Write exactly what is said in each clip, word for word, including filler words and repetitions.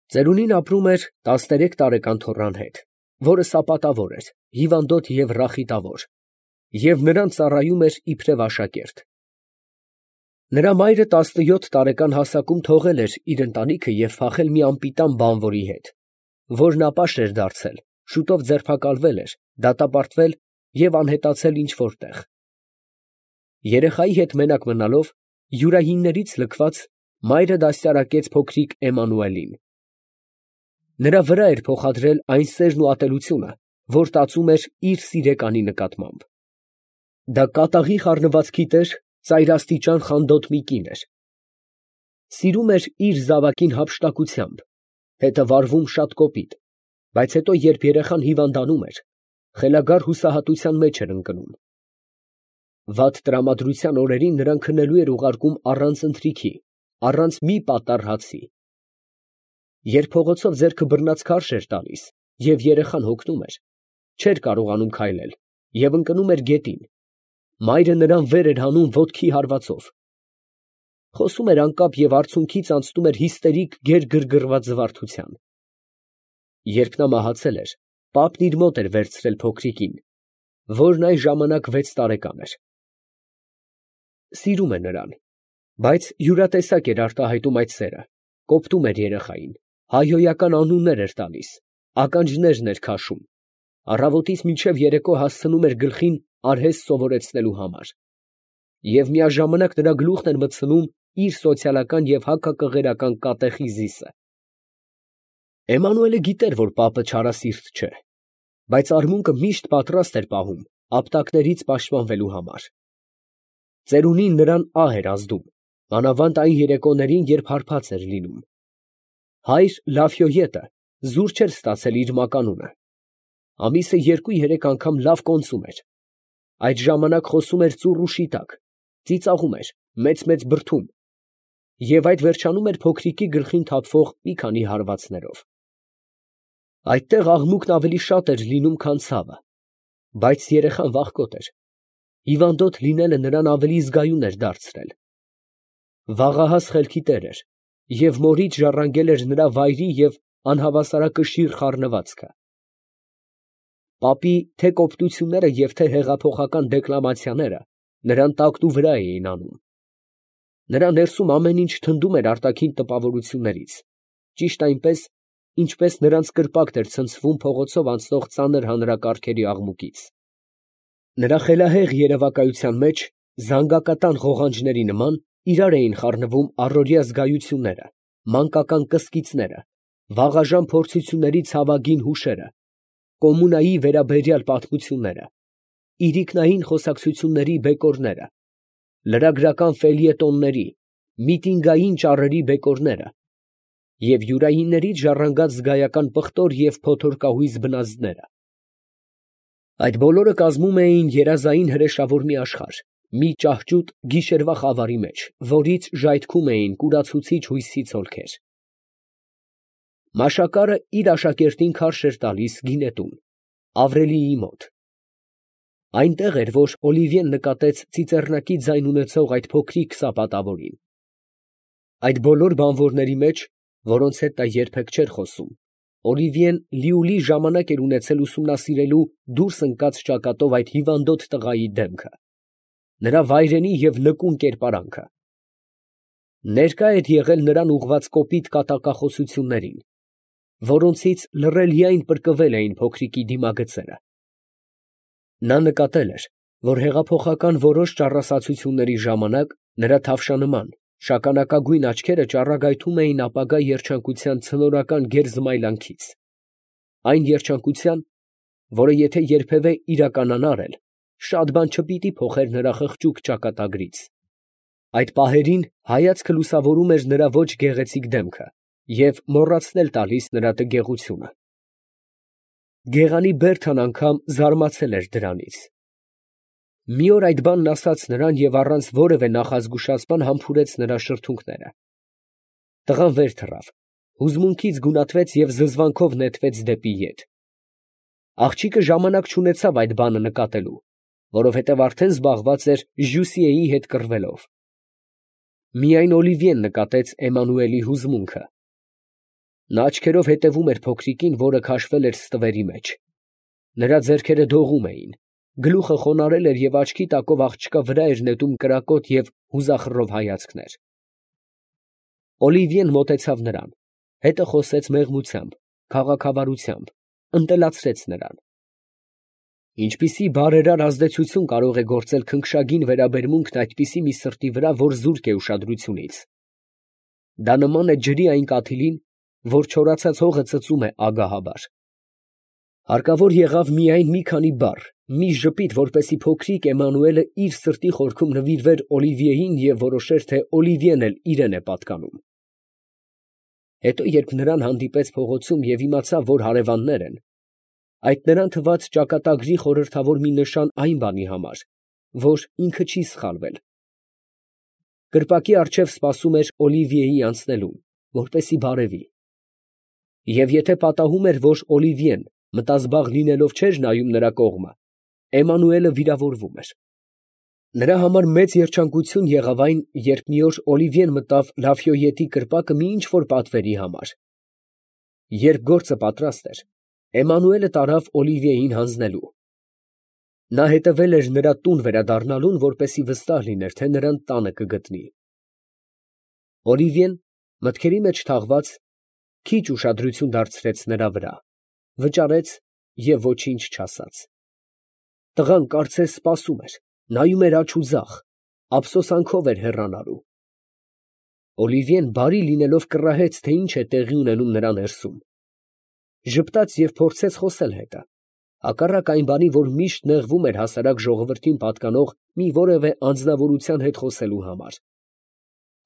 Ծերունին ապրում էր տասներեք տարեկան թոռան հետ, որը սապատավոր էր, հիվանդոտ և ռախիտավոր, և նրան ծառայում էր իբրև աշակերտ։ Նրա մայրը տասնյոթ տարեկան հասակում թողել էր իր ընտանիքը և փախել մի անպիտան բանվորի հետ, որն ապաշ էր դարձել, շուտով ձերբակալվել էր, դատապարտվել և անհետացել ինչ֊որ տեղ։ Երեխայի հետ մենակ մնալով, յուրայիններից լքված, մայրը դաստիարակեց փոքրիկ Էմանուելին։ Նրա վրա էր փոխադրել այն սերն ու ատելությունը, որ տածում էր իր սիրեկանի նկատմամբ։ Դա կատաղի խառնվածքի տեր, ծայրաստիճան խանդոտ մի կին էր։ Սիրում էր իր զավակին հափշտակությամբ, հետը վարվում շատ կոպիտ, բայց հետո, երբ երեխան հիվանդանում էր, խելագար հուսահատության մեջ էր ընկնում։ Վատ տրամադրության օրերին նրան քնելու էր ուղարկում առանց ընթրիքի, առանց մի պատառ հացի։ Երբ փողոցով ձեռքը բռնած քարշ էր տալիս, և երեխան հոգնում էր, չէր կարողանում քայլել և ընկնում էր գետին, մայրը նրան վեր էր հանում ոտքի հարվածով։ Խոսում էր անկապ և արցունքից անցնում էր հիստերիկ գեր֊գրգռված զվարթության։ Երբ նա մահացել էր, պապն իր մոտ էր վերցրել փոքրիկին, որն այն ժամանակ վեց տարեկան էր։ Սիրում է նրան, բայց յուրատեսակ էր արտահայտում այդ սերը, կոպտում էր երեխային, հայհոյական անուններ էր տալիս, ականջներն էր քաշում, առավոտից մինչև երեկո հասցնում էր գլխին արհեստ սովորեցնելու համար, և միաժամանակ նրա գլուխն էր մտցնում իր սոցիալական և հակակղերական կատեխիզիսը։ Էմանուելը գիտեր, որ պապը չարասիրտ չէ, բայց արմունկը միշտ պատրաստ էր պահում ապտակներից պաշտպանվելու համար։ Ծերունին նրան ահ էր ազդում, մանավանդ այն երեկոներին, երբ հարբած էր լինում։ Հայր Լաֆյոյետը զուր չէր ստացել իր մականունը, ամիսը երկու֊երեք անգամ լավ կոնծում էր, այդ ժամանակ խոսում էր ծուռ ու շիտակ, ծիծաղում էր, մեծ֊մեծ բրդում, և այդ վերջանում էր փոքրիկի գլխին թափվող մի քանի հարվածներով։ Այդտեղ աղմուկն ավելի շատ էր լինում, քան ցավը, բայց երեխան վախկոտ էր, հիվանդոտ լինելը նրան ավելի զգայուն էր դարձրել։ Վաղահաս խելքի տեր էր և մորից ժառանգել էր նրա վայրի և անհավասարակշիռ խառնվածքը։ Պապի թե՛ կոպտությունները և թե՛ հեղափոխական դեկլամացիաները նրան տակնուվրա էին անում։ Նրա ներսում ամեն ինչ թնդում էր արտաքին տպավորություններից, ճիշտ այնպես, ինչպես նրանց կրպակն էր ցնցվում փողոցով անցնող ծանր հանրակարգերի աղմուկից։ Նրա խելահեղ երևակայության մեջ, զանգակատան ղողանջների նման, իրար էին խառնվում առօրյա զգայությունները, մանկական կսկիծները, վաղաժամ փորձությունների ցավագին հուշերը, կոմունայի վերաբերյալ պատմությունները, իրիկնային խոսակցությունների բեկորները, լրագրական ֆելյետոնների, միտինգային ճառերի բեկորները և յուրայիններից ժառանգած զգայական պղտոր և փոթորկահույզ բնազդները։ Այդ բոլորը կազմում էին երազային հրեշավոր մի աշխարհ, մի ճահճուտ գիշերվա խավարի մեջ, որից ժայթքում էին կուրացուցիչ հույսի ցոլքեր։ Մաշակարը իր աշակերտին քարշ էր տալիս գինետուն, Ավրելիի մոտ։ Այնտեղ էր, որ Օլիվիեն նկատեց ծիծեռնակի ձայն ունեցող այդ փոքրիկ սապատավորին։ Այդ բոլոր բանվորների մեջ, որոնց հետ նա երբեք չէր խոսում, Օլիվիեն լիուլի ժամանակ էր ունեցել ուսումնասիրելու դուրս ընկած ճակատով այդ հիվանդոտ տղայի դեմքը, նրա վայրենի և նկուն կերպարանքը։ Ներկա էր եղել նրան ուղղված կոպիտ կատակախոսություններին, որոնցից լռելիայն պրկվել էին փոքրիկի դիմագծերը։ Նա նկատել էր, որ հեղափոխական որոշ ճառասացությունների ժամանակ նրա թավշանման, շագանակագույն աչքերը ճառագայթում էին ապագա երջանկության ցնորական գերզմայլանքից, այն երջանկության, որը եթե երբևէ իրականանար էլ, շատ բան չպիտի փոխեր նրա խղճուկ ճակատագրից։ Այդ պահերին հայացքը լուսավորում էր նրա ոչ գեղեցիկ դեմքը և մոռացնել տալիս նրա տգեղությունը։ Գեղանի Բերթան անգամ զարմացել էր դրանից։ Մի օր այդ բանն ասաց նրան և առանց որևէ նախազգուշացման համբուրեց նրա շրթունքները։ Տղան վեր թռավ, հուզմունքից գունատվեց և զզվանքով նետվեց դեպի ետ։ Աղջիկը ժամանակ չունեցավ այդ բանը նկատելու, որովհետև արդեն զբաղված էր Ժյուսիեի հետ կռվելով։ Միայն Օլիվիեն նկատեց Էմանուելի հուզմունքը։ Նա աչքերով հետևում էր փոքրիկին, որը քաշվել էր ստվերի մեջ. նրա ձեռքերը դողում էին, գլուխը խոնարհել էր և աչքի տակով աղջկա վրա էր նետում կրակոտ և հուզախռով հայացքներ։ Օլիվիեն մոտեցավ նրան, հետը խոսեց մեղմությամբ, քաղաքավարությամբ, ընտելացրեց նրան։ Ինչպիսի բարերար ազդեցություն կարող է գործել քնքշագին վերաբերմունքն այդպիսի մի սրտի վրա, որ զուրկ է ուշադրությունից։ Դա նման է ջրի այն կաթիլին, որ չորացած հողը ծծում է ագահաբար։ Հարկավոր եղավ միայն մի քանի բառ, մի ժպիտ, որպեսզի փոքրիկ Էմանուելը իր սրտի խորքում նվիրվեր Օլիվիեին և որոշեր, թե Օլիվիեն էլ իրան է պատկանում։ Հետո, երբ նրան հանդիպեց փողոցում և իմացավ, որ հարևաններ են, այդ նրան թվաց ճակատագրի խորհրդավոր մի նշան այն բանի համար, որ ինքը չի սխալվել։ Կրպակի առջև սպասում էր Օլիվիեի անցնելուն, որպեսզի բարևի։ Եվ եթե պատահում էր, որ Օլիվիեն մտազբաղ լինելով չէր նայում նրա կողմը, Էմանուելը վիրավորվում էր։ Նրա համար մեծ երջանկություն եղավ այն, երբ մի օր Օլիվիեն մտավ Լաֆյոյետի կրպակը մի ինչ֊որ պատվերի համար։ Երբ գործը պատրաստ էր, Էմանուելը տարավ Օլիվիեին հանձնելու։ Նա հետևել էր նրա տուն վերադառնալուն, որպեսզի վստահ լիներ, թե նրան տանը կգտնի։ Օլիվիեն, մտքերի մեջ թաղված, քիչ ուշադրություն դարձրեց նրա վրա, վճարեց և ոչինչ չասաց։ Տղան կարծես սպասում էր, նայում էր աջ ու ձախ, ափսոսանքով էր հեռանալու։ Օլիվիեն բարի լինելով կռահեց, թե ինչ է տեղի ունենում նրա ներսում։ Ժպտաց և փորձեց խոսել հետը, հակառակ այն բանի, որ միշտ նեղվում էր հասարակ ժողովրդին պատկանող մի որևէ անձնավորության հետ խոսելու համար։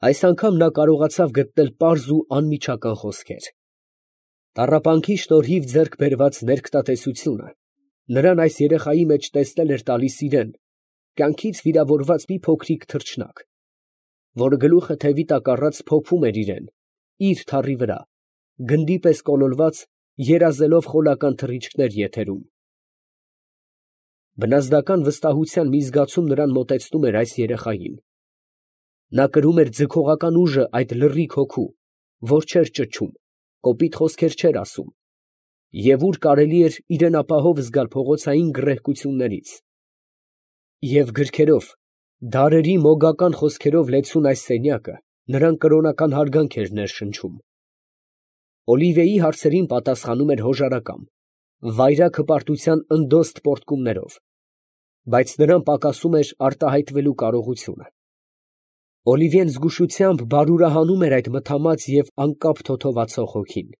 Այս անգամ նա կարողացավ գտնել պարզ ու անմիջական խոսքեր։ Տառապանքի շնորհիվ ձեռք բերված ներքտատեսությունը նրան այս երեխայի մեջ տեսնել էր տալիս իրան, կյանքից վիրավորված մի փոքրիկ թռչնակ, որը գլուխը թևի տակ առած փոփում էր իրան, իր թառի վրա, գնդի պես կոլորված, երազելով խոլական թռիչքներ եթերում։ Բնազդական վստահության մի զգացում նրան մոտեցնում էր այս երեխային։ Նա կրում էր ձգողական ուժը այդ լռիկ հոգու, որ չէր ճչում, կոպիտ խոսքեր չէր ասում, և ուր կարելի էր իրան ապահով զգալ փողոցային գռեհկություններից։ Եվ գրքերով, դարերի մոգական խոսքերով լեցուն այս սենյակը նրան կրոնական հարգանք էր ներշնչում։ Օլիվիեի հարցերին պատասխանում էր հոժարակամ, վայրագ հպարտության ընդոստ պոռթկումներով, բայց նրան պակասում էր արտահայտվելու կարողությունը։ Օլիվիեն զգուշությամբ բարուրահանում էր այդ մթամած և անկապ թոթովացող հոգին։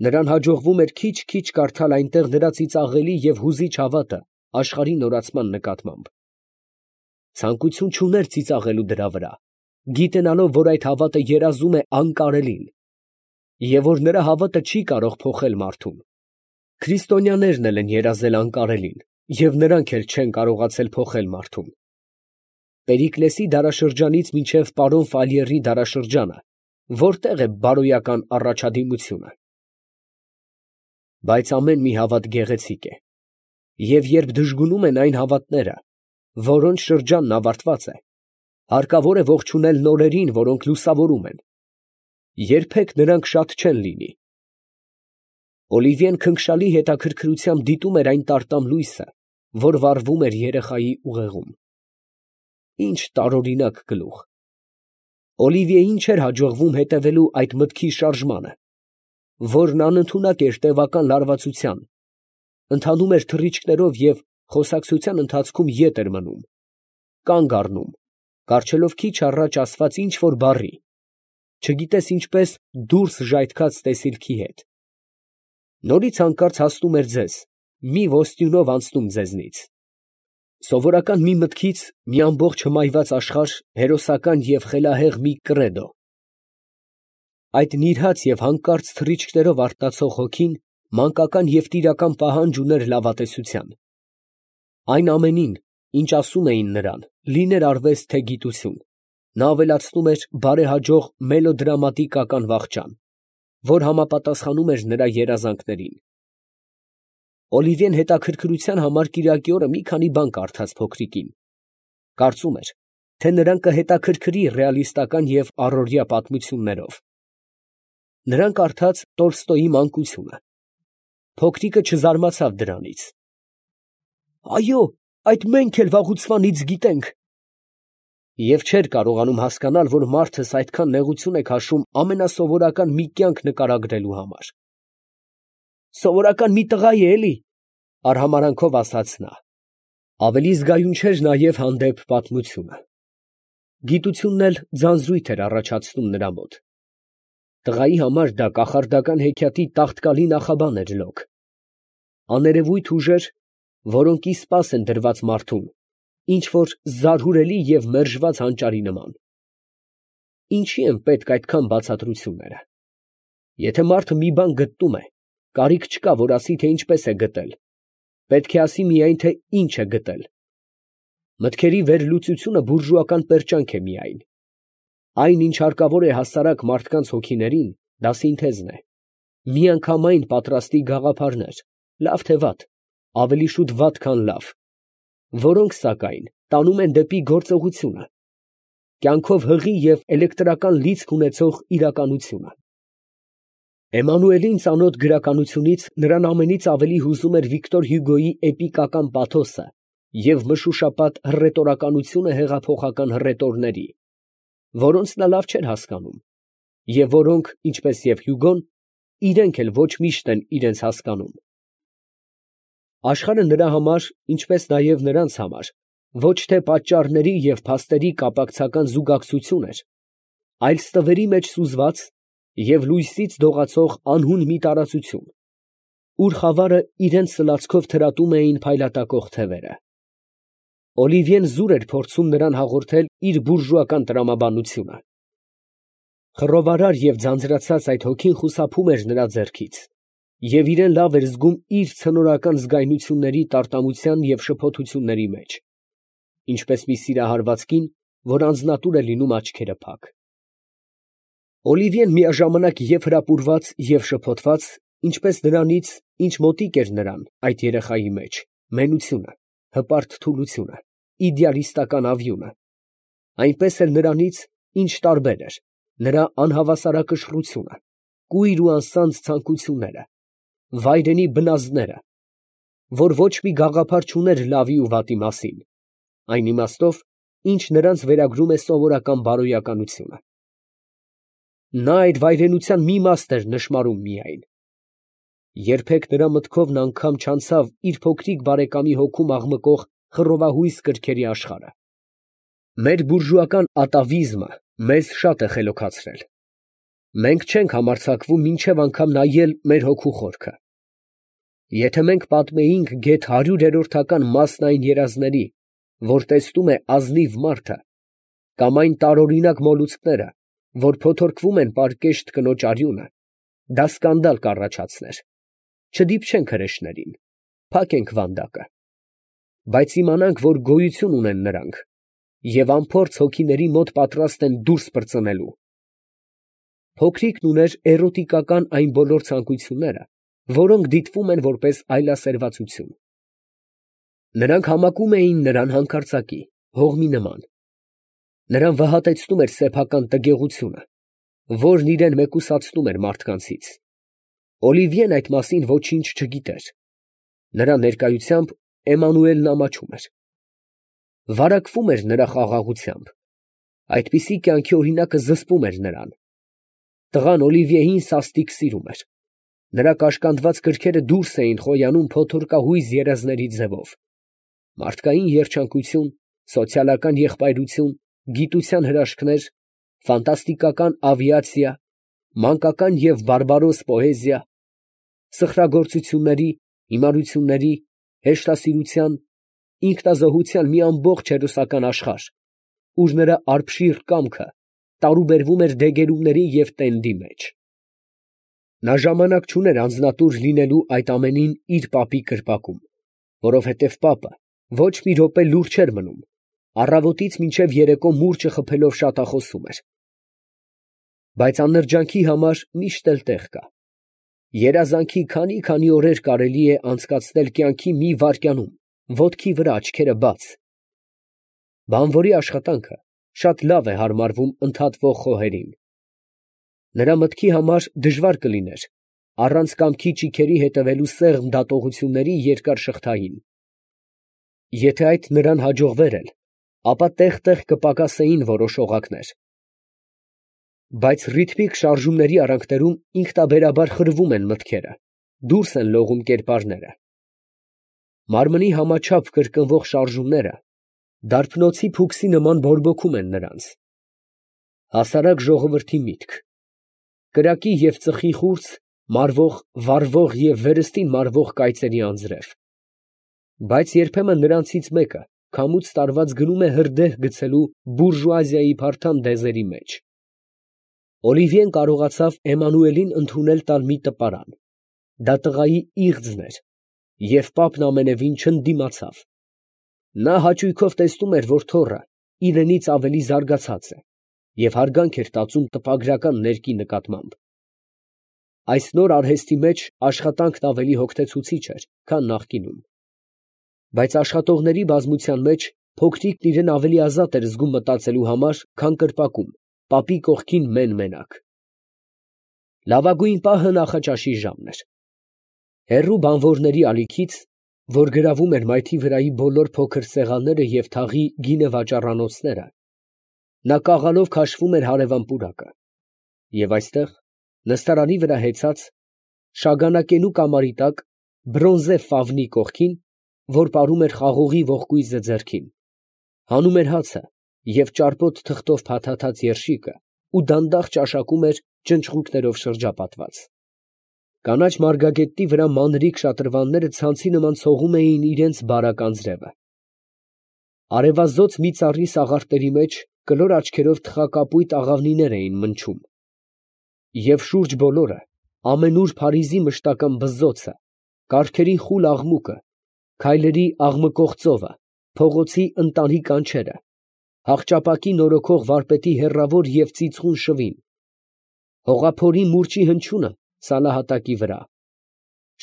Նրան հաջողվում էր քիչ֊քիչ կարդալ այնտեղ նրա ծիծաղելի և հուզիչ հավատը աշխարհի նորացման նկատմամբ։ Ցանկություն չուներ ծիծաղելու դրա վրա, գիտենալով, որ այդ հավատը երազում է անկարելին, և որ նրա հավատը չի կարող փոխել մարդուն։ Քրիստոնյաներն էլ են երազել անկարելին, և նրանք էլ չեն կարողացել փոխել մարդուն։ Պերիկլեսի դարաշրջանից մինչև պարոն Ֆալիերի դարաշրջանը որտե՞ղ է բարոյական առաջադիմությունը։ Բայց ամեն մի հավատ գեղեցիկ է, և երբ դժգունում են այն հավատները, որոնց շրջանն ավարտված է, հարկավոր է ողջունել նորերին, որոնք լուսավորում են. երբեք նրանք շատ չեն լինի։ Օլիվիեն քնքշալի հետաքրքրությամբ դիտում էր այն տարտամ լույսը, որ վառվում էր երեխայի ուղեղում։ Ինչ տարօրինակ գլուխ։ Օլիվիեին չէր հաջողվում հետևելու այդ մտքի շարժմանը, որն անընդունակ էր տևական լարվածության, ընթանում էր թռիչքներով և խոսակցության ընթացքում ետ էր մնում, կանգ առնում, կառչելով քիչ առաջ ասված ինչ֊որ բառի, չգիտես ինչպես դուրս ժայթքած տեսիլքի հետ։ Նորից հանկարծ հասնում էր ձեզ, մի ոստյունով անցնում ձեզնից։ Սովորական մի մտքից մի ամբողջ հմայված աշխարհ, հերոսական և խելահեղ մի կռեդո։ Այդ նիրհած և հանկարծ թռիչքներով արթնացող հոգին մանկական և տիրական պահանջ ուներ լավատեսության։ Այն ամենին, ինչ ասում էին նրան, լիներ արվեստ, թե գիտություն, նա ավելացնում էր բարեհաջող մելոդրամատիկական վախճան, որ համապատասխանում էր նրա երազանքներին։ Օլիվիեն հետաքրքրության համար կիրակի օրը մի քանի բան կարդաց փոքրիկին. կարծում էր, թե նրան կհետաքրքրի ռեալիստական և առօրյա պատմություններով։ Նրան կարդաց Տոլստոյի մանկությունը։ Փոքրիկը չզարմացավ դրանից։ Այո, այդ մենք էլ վաղուցվանից գիտենք։ Եվ չէր կարողանում հասկանալ, որ մարդս այդքան նեղություն է քաշում ամենասովորական մի կյանք նկարագրելու համար։ Սովորական մի տղա է, էլի, արհամարանքով ասաց նա։ Ավելի զգայուն չէր նաև հանդեպ պատմությունը։ Գիտությունն էլ ձանձրույթ էր առաջացնում նրա մոտ։ Տղայի համար դա կախարդական հեքիաթի տաղտկալի նախաբան էր լոկ։ Աներևույթ ուժեր, որոնք ի սպաս են դրված մարդուն, ինչ որ զարհուրելի և մերժված հանճարի նման։ Ինչի են պետք այդքան բացատրությունները։ Եթե մարդը մի բան գտնում է, կարիք չկա, որ ասի, թե ինչպես է գտել, պետք է ասի միայն, թե ինչ է գտել։ Մտքերի վերլուծությունը բուրժուական պերճանք է միայն։ Այն, ինչ հարկավոր է հասարակ մարդկանց հոգիներին, դա սինթեզն է, միանգամայն պատրաստի գաղափարներ, լավ թե վատ, ավելի շուտ վատ, քան լավ, որոնք, սակայն, տանում են դեպի գործողությունը, կյանքով հղի և էլեկտրական լիցք ունեցող իրականությունը։ Էմանուելին ծանոթ գրականությունից նրան ամենից ավելի հուզում էր Վիկտոր Հյուգոյի էպիկական պաթոսը և մշուշապատ հռետորականությունը հեղափոխական հռետորների, որոնց նա լավ չէր հասկանում, և որոնք, ինչպես և Հյուգոն, իրենք էլ ոչ միշտ են իրենց հասկանում։ Աշխարհը նրա համար, ինչպես նաև նրանց համար, ոչ թե պատճառների և փաստերի կապակցական զուգակցություն էր, այլ ստվերի մեջ սուզված և լույսից դողացող անհուն մի տարածություն, ուր խավարը իրենց սլացքով թրատում էին փայլատակող թևերը։ Օլիվիեն զուր էր փորձում նրան հաղորդել իր բուրժուական տրամաբանությունը։ Խռովարար և ձանձրացած այդ հոգին խուսափում էր նրա ձեռքից, և իրեն լավ էր զգում իր ցնորական զգայունությունների տարտամության և շփոթությունների մեջ, ինչպես մի սիրահարված կին, որ անձնատուր է լինում աչքերը փակ։ Օլիվիեն միաժամանակ և հրապուրված և շփոթված, ինչպես նրանից, ինչ մոտիկ էր նրան, այդ երեխայի մեջ, մենությունը, հպարտ թուլությունը, իդեալիստական ավյունը, այնպես էլ նրանից, ինչ տարբեր էր, նրա անհավասարակշռությունը, կույր ու անսանձ ցանկությունները, վայրենի բնազդները, որ ոչ մի գաղափար չուներ լավի ու վատի մասին, այն իմաստով, ինչ նրանց վերագրում է սովորական բարոյականությունը։ Նա այդ վայրենության մի մաս էր նշմարում միայն։ Երբեք նրա մտքով անգամ չանցավ իր փոքրիկ բարեկամի հոգում աղմկող խռովահույս կրքերի աշխարհը։ Մեր բուրժուական ատավիզմը մեզ շատ է խելոքացրել։ Մենք չենք համարձակվում մինչև անգամ նայել մեր հոգու խորքը։ Եթե մենք պատմեինք գեթ հարյուրերորդական մասն այն երազների, որ տեսնում է ազնիվ մարդը, կամ այն տարօրինակ մոլուցքները, որ փոթորկվում են պարկեշտ կնոջ արյունը, դա սկանդալ կառաջացներ։ Չդիպչենք հրեշներին, փակենք վանդակը, բայց իմանանք, որ գոյություն ունեն նրանք և անփորձ հոգիների մոտ պատրաստ են դուրս պրծնելու։ Փոքրիկն ուներ էրոտիկական այն բոլոր ցանկությունները, որոնք դիտվում են որպես այլասերվածություն։ Նրանք համակում էին նրան հանկարծակի, հողմի նման։ Նրան վհատեցնում էր սեփական տգեղությունը, որն իրան մեկուսացնում էր մարդկանցից։ Օլիվիեն այդ մասին ոչինչ չգիտեր։ Նրա ներկայությամբ Էմանուելն ամաչում էր։ Վարակվում էր նրա խաղաղությամբ։ Այդպիսի կյանքի օրինակը զսպում էր նրան։ Տղան Օլիվիեին սաստիկ սիրում էր։ Նրա կաշկանդված կրքերը դուրս էին խոյանում փոթորկահույզ երազների ձևով։ Մարդկային երջանկություն, սոցիալական եղբայրություն, գիտության հրաշքներ, ֆանտաստիկական ավիացիա, մանկական և բարբարոս պոեզիա, սխրագործությունների, հիմարությունների, հեշտասիրության, ինքնազոհության մի ամբողջ հերոսական աշխարհ, ուր նրա արբշիռ կամքը տարուբերվում էր դեգերումների և տենդի մեջ։ Նա ժամանակ չուներ անձնատուր լինելու այդ ամենին իր պապի կրպակում, որովհետև պապը ոչ մի րոպե լուռ չէր մնում, առավոտից մինչև երեկո մուրճը խփելով շատախոսում էր։ Բայց աննրջանքի համար միշտ էլ տեղ կա։ Երազանքի քանի՜֊քանի օրեր կարելի է անցկացնել կյանքի մի վայրկյանում, ոտքի վրա, աչքերը բաց։ Բանվորի աշխատանքը շատ լավ է հարմարվում ընդհատվող խոհերին։ Նրա մտքի համար դժվար կլիներ առանց կամքի ճիգերի հետևելու սեղմ դատողությունների երկար շղթային. եթե այդ նրան հաջողվեր էլ, ապա տեղ֊տեղ կպակասեին որոշ օղակներ. բայց ռիթմիկ շարժումների արանքներում ինքնաբերաբար խրվում են մտքերը, դուրս են լողում կերպարները։ Մարմնի համաչափ կրկնվող շարժումները դարբնոցի փուքսի նման բորբոքում են նրանց։ Հասարակ ժողովրդի միտք, կրակի և ծխի խուրձ, մարվող, վառվող և վերստին մարվող կայծերի անձրև։ Բայց երբեմն նրանցից մեկը քամուց տարված գնում է հրդեհ գցելու բուրժուազիայի փարթամ դեզերի մեջ։ Օլիվիեն կարողացավ Էմանուելին ընդունել տալ մի տպարան. դա տղայի իղձն էր, և պապն ամենևին չընդդիմացավ։ Նա հաճույքով տեսնում էր, որ թոռը իրենից ավելի զարգացած է և հարգանք էր տածում տպագրական ներկի նկատմամբ։ Այս նոր արհեստի մեջ աշխատանքն ավելի հոգնեցուցիչ էր, քան նախկինում։ Բայց աշխատողների բազմության մեջ փոքրիկն իրան ավելի ազատ էր զգում մտածելու համար, քան կրպակում, պապի կողքին մեն֊մենակ։ Լավագույն պահը նախաճաշի ժամն էր։ Հեռու բանվորների ալիքից, որ գրավում էր մայթի վրայի բոլոր փոքր սեղանները և թաղի գինեվաճառանոցները, նա կաղալով քաշվում էր հարևան պուրակը, և այստեղ, նստարանի վրա հեծած, շագանակենու կամարի տակ, բրոնզե ֆավնի կողքին, որ պարում էր խաղողի ողկույզը ձեռքին, հանում էր հացը և ճարպոտ թղթով փաթաթած երշիկը ու դանդաղ ճաշակում էր ճնճղուկներով շրջապատված։ Կանաչ մարգագետնի վրա մանրիկ շատրվանները ցանցի նման ցողում էին իրանց բարակ անձրևը։ Արևազոծ մի ծառի սաղարթների մեջ կլոր աչքերով թխակապույտ աղավնիներ էին մնչում, և շուրջ բոլորը ամենուր Փարիզի մշտական բզզոցը, կառքերի խուլ աղմուկը, քայլերի աղմկող ծովը, փողոցի ընտանի կանչերը, հախճապակի նորոգող վարպետի հեռավոր և ծիծաղուն շվին, հողափորի մուրճի հնչյունը սալահատակի վրա,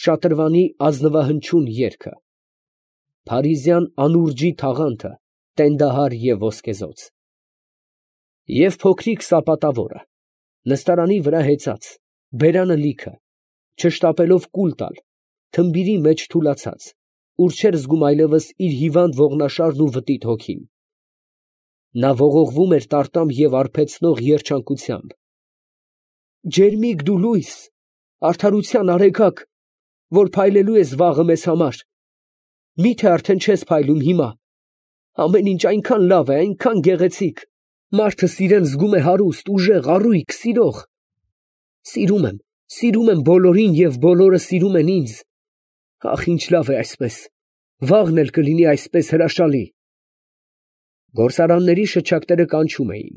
շատրվանի ազնվահնչյուն երգը, փարիզյան անուրջի թաղանթը տենդահար և ոսկեզօծ։ Եվ փոքրիկ սապատավորը, նստարանի վրա հեծած, բերանը լիքը, չշտապելով կուլ տալ, թմբիրի մեջ թուլացած, ուր չէր զգում այլևս իր հիվանդ ողնաշարն ու վտիտ հոգին։ Նա ողողվում էր տարտամ և արբեցնող երջանկությամբ. «Ջերմիկ դու լույս, արդարության արեգակ, որ փայլելու ես վաղը մեզ համար, մի՞թե արդեն չես փայլում հիմա. ամեն ինչ այնքան լավ է, այնքան գեղեցիկ, մարդս իրան զգում է հարուստ, ուժեղ, առույգ, սիրող… Սիրում եմ, սիրում եմ բոլորին և բոլորը սիրում են ինձ… Ախ, ինչ լավ է այսպես… վաղն էլ կլինի այսպես հրաշալի…»։ Գործարանների շչակները կանչում էին,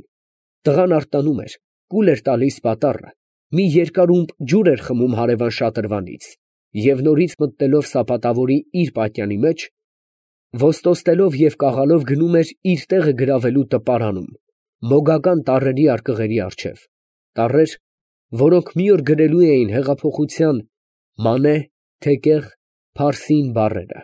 տղան արթնանում էր, կուլ էր տալիս պատառը, մի երկարումբ ջուր էր խմում հարևան շատրվանից և նորից մտնելով սապատավորի իր պատյանի մեջ, ոստոստելով և կաղալով գնում էր իր տեղը գրավելու տպարանում, մոգական տառերի արկղերի առջև, տառեր, որոնք մի օր գրելու էին հեղափոխության «մանե», «թեկեղ», «փարսին» բառերը։